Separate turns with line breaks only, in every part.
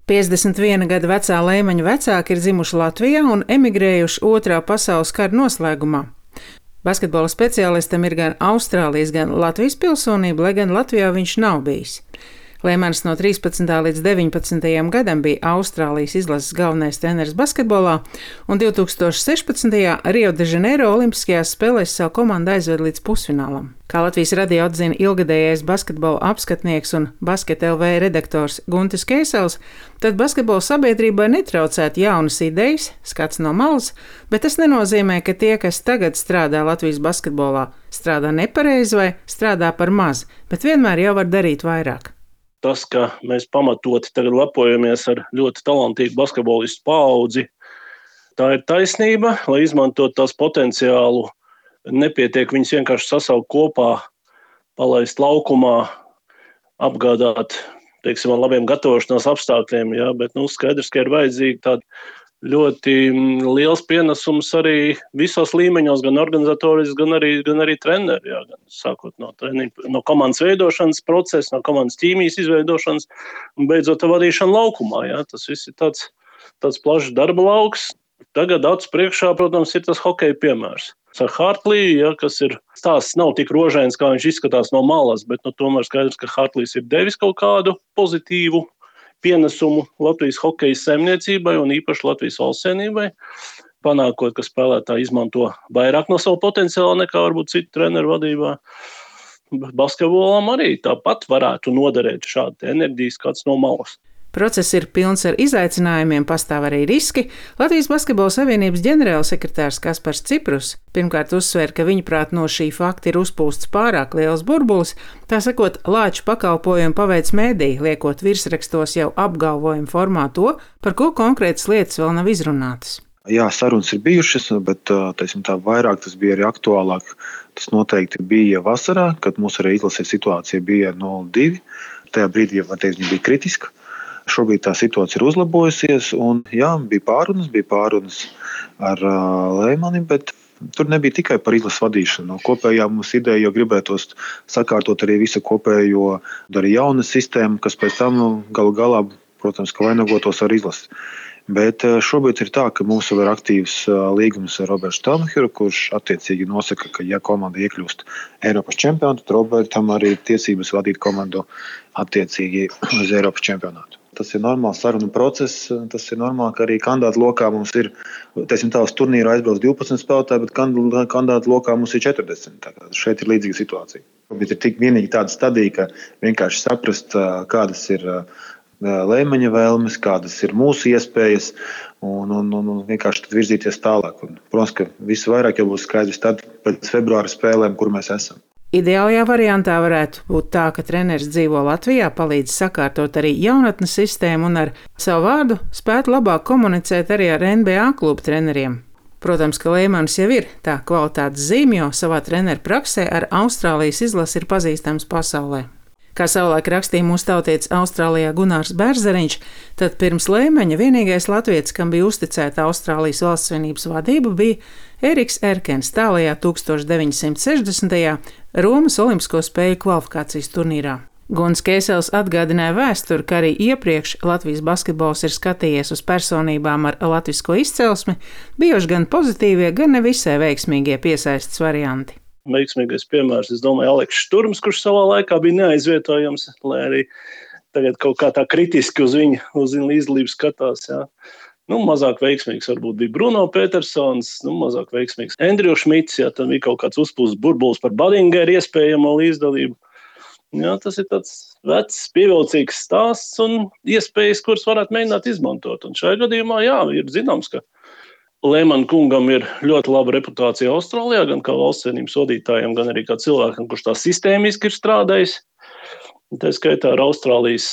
51 gada vecā Leimaņa vecāki ir dzimuši Latvijā un emigrējuši Otrā pasaules kara noslēgumā. Basketbola speciālistam ir gan Austrālijas, gan Latvijas pilsonība, lai gan Latvijā viņš nav bijis. Leimans no 13. līdz 19. gadam bija Austrālijas izlases galvenais treneris basketbolā, un 2016. Rio de Janeiro olimpiskajās spēlēs savu komandu aizved līdz pusfinālam. Kā Latvijas radio atzina ilgadējais basketbola apskatnieks un Basket LV redaktors Guntis Keisels, tad basketbola sabiedrībai netraucētu jaunas idejas, skats no malas, bet tas nenozīmē, ka tie, kas tagad strādā Latvijas basketbolā, strādā nepareizi vai strādā par maz, bet vienmēr jau var darīt vairāk.
Tas, ka mēs pamatoti tagad lepojamies ar ļoti talantīgu basketbolistu paudzi, tā ir taisnība, lai izmantot tās potenciālu. Nepietiek viņus vienkārši sasaukt kopā, palaist laukumā, apgādāt, teiksim, ar labiem gatavošanās apstākļiem, jā, bet skaidrs, ka ir vajadzīgi tādi ļoti liels pienesums arī visos līmeņos, gan organizatoriski, gan arī treneri, jā, gan sākot no komandas veidošanas procesa, no komandas ķīmijas izveidošanas un beidzot vadīšana laukumā. Jā. Tas viss ir tāds plašs darba lauks. Tagad acu priekšā, protams, ir tas hokeja piemērs. Ar Hartliju, ja, kas ir stāsts nav tik rožains, kā viņš izskatās no malas, bet tomēr skaidrs, ka Hartlijs ir devis kaut kādu pozitīvu pienesumu Latvijas hokeja saimniecībai un īpaši Latvijas valstsienībai, panākot, ka spēlētāji izmanto vairāk no savu potenciālu nekā varbūt citu treneru vadībā. Basketbolam arī tāpat varētu noderēt šāda enerģijas kāds no malas.
Process ir pilns ar izaicinājumiem, pastāv arī riski. Latvijas Basketbola Savienības ģenerālsekretārs Kaspars Ciprus pirmkārt uzsver, ka viņuprāt no šī fakta ir uzpūsts pārāk liels burbulis, tā sakot, lāču pakalpojumu paveic mēdī, liekot virsrakstos jau apgalvojumu formā to, par ko konkrētas lietas vēl nav izrunātas.
Jā, sarunas ir bijušas, bet tā vairāk tas bija arī aktuālāk. Tas noteikti bija vasarā, kad mūsu arī izlases situācija bija 0-2. Tajā brīdī, viņa bija kritiska. Šobrīd tā situācija ir uzlabojusies, un jā, bija pārunas ar Leimani, bet tur nebija tikai par izlases vadīšanu. Kopējā mums ideja, jo gribētos sakārtot arī visu kopējo, arī jaunu sistēmu, kas pēc tam galu galā, protams, ka vainagotos ar izlasi. Bet šobrīd ir tā, ka mums jau ir aktīvs līgums ar Robertu Stelmacheru, kurš attiecīgi nosaka, ka ja komanda iekļūst Eiropas čempionātu, tad Robertam arī ir tiesības vadīt komandu attiecīgi uz Eiropas čempionātu. Tas ir normāls sarunu process, tas ir normāli, ka arī kandidātu lokā mums ir, uz turnīru aizbrauc 12 spēlētāji, bet kandidātu lokā mums ir 40. Tā kā šeit ir līdzīga situācija. Bet ir tik vienīgi tāda stadija, ka vienkārši saprast, kādas ir Leimaņa vēlmes, kādas ir mūsu iespējas un vienkārši tad virzīties tālāk. Un, protams, ka visu vairāk jau būs skaidrs tad pēc februāra spēlēm, kur mēs esam.
Ideālajā variantā varētu būt tā, ka treneris dzīvo Latvijā, palīdz sakārtot arī jaunatnes sistēmu un ar savu vārdu spētu labāk komunicēt arī ar NBA klubu treneriem. Protams, ka Leimans jau ir tā kvalitātes zīme, jo savā treneru praksē ar Austrālijas izlasi ir pazīstams pasaulē. Kā savulaik rakstīja mūsu tautietis Austrālijā Gunārs Bērzeriņš, tad pirms Leimaņa vienīgais latvietis, kam bija uzticēta Austrālijas valstsvienības vadība, bija Eriks Erkens tālajā 1960. Romas Olimpisko spēļu kvalifikācijas turnīrā. Guntis Keisels atgādināja vēsturi, ka arī iepriekš Latvijas basketbols ir skatījies uz personībām ar latvisko izcelsmi, bijuši gan pozitīvie, gan nevisai veiksmīgie piesaistes varianti.
Veiksmīgais piemērs, es domāju, Aleks Šturms, kurš savā laikā bija neaizvietojams, lai arī tagad kaut kā tā kritiski uz viņu līdzdalību skatās. Jā. Mazāk veiksmīgs varbūt bija Bruno Petersons, mazāk veiksmīgs Andrew Šmits, jā, tad bija kaut kāds uzpūsts burbulis par Badingeru iespējamo līdzdalību. Jā, tas ir tāds vecs, pievilcīgs stāsts un iespējas, kuras varētu mēģināt izmantot. Un šajā gadījumā, jā, ir zināms, ka Leimana kungam ir ļoti laba reputācija Austrālijā, gan kā valstsienības vadītājiem, gan arī kā cilvēkam, kurš tā sistēmiski ir strādājis. Tā skaitā ar Austrālijas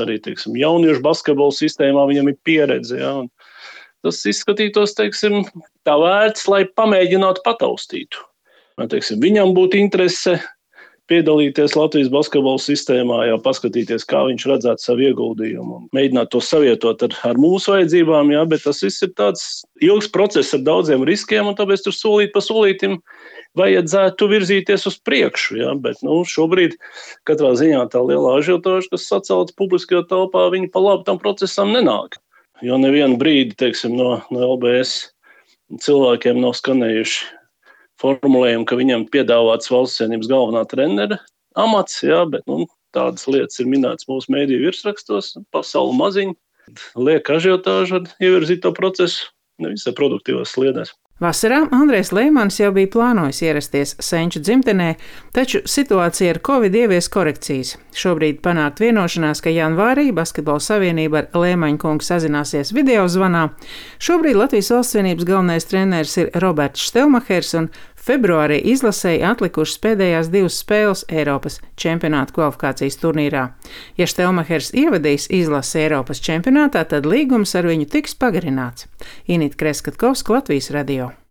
arī, teiksim, jauniešu basketbola sistēmā viņam ir pieredze. Ja, un tas izskatītos, teiksim, tā vērts, lai pamēģinātu pataustītu. Teiksim, viņam būtu interese piedalīties Latvijas basketbola sistēmā, jau paskatīties, kā viņš redzētu savu ieguldījumu un mēģināt to savietot ar mūsu vajadzībām, jā, bet tas viss ir tāds ilgs process ar daudziem riskiem, un tāpēc tur solīt pa solītim vajadzētu virzīties uz priekšu. Ja? Bet šobrīd katrā ziņā tā lielā ažiotāža, kas sacelta publiskajā telpā, viņi pa labi tam procesam nenāk. Jo nevienu brīdi, teiksim, no LBS cilvēkiem nav skanējuši formulējumi, ka viņam piedāvāts Valsts Savienības galvenā trenera amats, ja? Bet tādas lietas ir minētas mūsu mēdīju virsrakstos, pasauli maziņi, liek ažiotāžu ar ievirzīto procesu nevisai produktīvās sliedēs.
Vasarā Andrejs Leimans jau bija plānojis ierasties Senču dzimtenē, taču situācija ar Covid ievies korekcijas. Šobrīd panākt vienošanās, ka janvārī Basketbola savienība ar Leimaņa kungu sazināsies video zvanā. Šobrīd Latvijas Valsts Savienības galvenais treneris ir Roberts Štelmachers, un februārī izlasēji atlikušas pēdējās 2 spēles Eiropas čempionāta kvalifikācijas turnīrā. Ja Štelmachers ievadīs izlasi Eiropas čempionātā, tad līgums ar viņu tiks pagarināts. Inita Kreskatkovska, Latvijas radio.